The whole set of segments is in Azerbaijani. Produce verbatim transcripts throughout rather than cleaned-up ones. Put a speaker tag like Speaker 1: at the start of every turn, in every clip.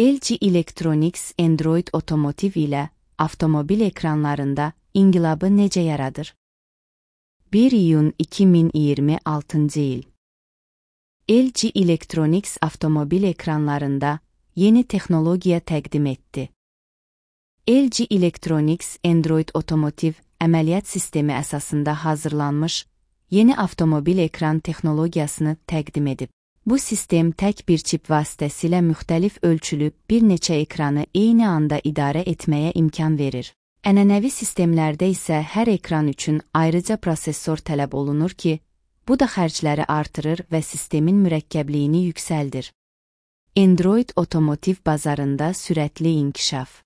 Speaker 1: L G Electronics Android Automotive ilə avtomobil ekranlarında inqilabı necə yaradır? bir iyun iki min iyirmi altıncı il. L G Electronics avtomobil ekranlarında yeni texnologiya təqdim etdi. L G Electronics Android Automotive əməliyyat sistemi əsasında hazırlanmış yeni avtomobil ekran texnologiyasını təqdim edib. Bu sistem tək bir çip vasitəsilə müxtəlif ölçülü bir neçə ekranı eyni anda idarə etməyə imkan verir. Ənənəvi sistemlərdə isə hər ekran üçün ayrıca prosesor tələb olunur ki, bu da xərcləri artırır və sistemin mürəkkəbliyini yüksəldir. Android Automotive bazarında sürətli inkişaf.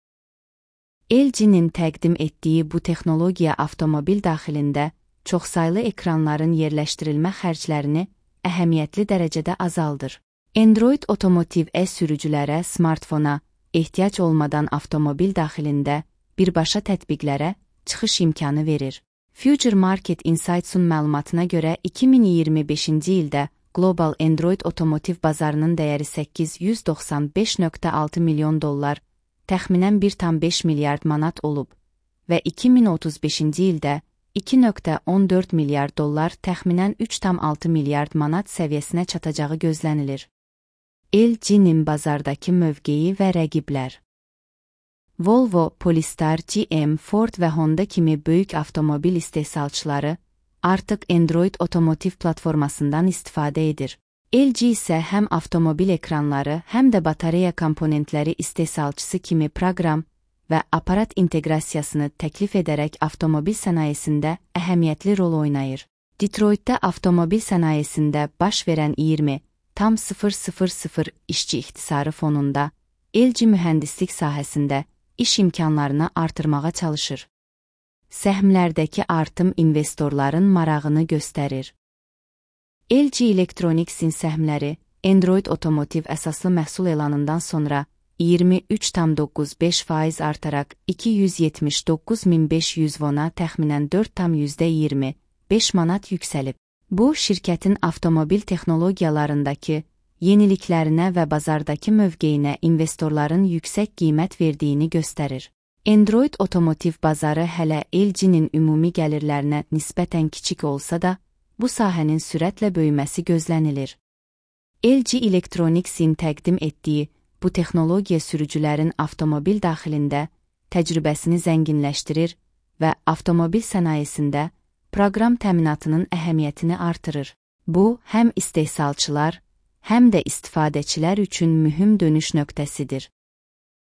Speaker 1: L G-nin təqdim etdiyi bu texnologiya avtomobil daxilində çoxsaylı ekranların yerləşdirilmə xərclərini əhəmiyyətli dərəcədə azaldır. Android Automotive e-sürücülərə smartfona ehtiyac olmadan avtomobil daxilində birbaşa tətbiqlərə çıxış imkanı verir. Future Market Insights'un məlumatına görə iki min iyirmi beşinci ildə Global Android Automotive bazarının dəyəri səkkiz yüz doxsan beş nöqtə altı milyon dollar, təxminən bir tam beş milyard manat olub və iki min otuz beşinci ildə iki nöqtə on dörd milyard dollar, təxminən üç tam altı milyard manat səviyyəsinə çatacağı gözlənilir. L G-nin bazardakı mövqeyi və rəqiblər. Volvo, Polestar, G M, Ford və Honda kimi böyük avtomobil istehsalçıları artıq Android Automotive platformasından istifadə edir. L G isə həm avtomobil ekranları, həm də batareya komponentləri istehsalçısı kimi proqram və aparat inteqrasiyasını təklif edərək avtomobil sənayesində əhəmiyyətli rol oynayır. Detroitdə avtomobil sənayesində baş verən iyirmi tam sıfır sıfır sıfır işçi ixtisarı fonunda L G mühəndislik sahəsində iş imkanlarını artırmağa çalışır. Səhmlərdəki artım investorların marağını göstərir. L G Electronics'in səhmləri Android Automotive əsaslı məhsul elanından sonra iyirmi üç tam doqquz beş faiz artaraq iki yüz yetmiş doqquz min beş yüz vona təxminən dörd tam iyirmi beş manat yüksəlib. Bu, şirkətin avtomobil texnologiyalarındakı yeniliklərinə və bazardakı mövqeyinə investorların yüksək qiymət verdiyini göstərir. Android Automotive bazarı hələ L G-nin ümumi gəlirlərinə nisbətən kiçik olsa da, bu sahənin sürətlə böyüməsi gözlənilir. L G Electronics'in təqdim etdiyi bu texnologiya sürücülərin avtomobil daxilində təcrübəsini zənginləşdirir və avtomobil sənayesində proqram təminatının əhəmiyyətini artırır. Bu, həm istehsalçılar, həm də istifadəçilər üçün mühüm dönüş nöqtəsidir.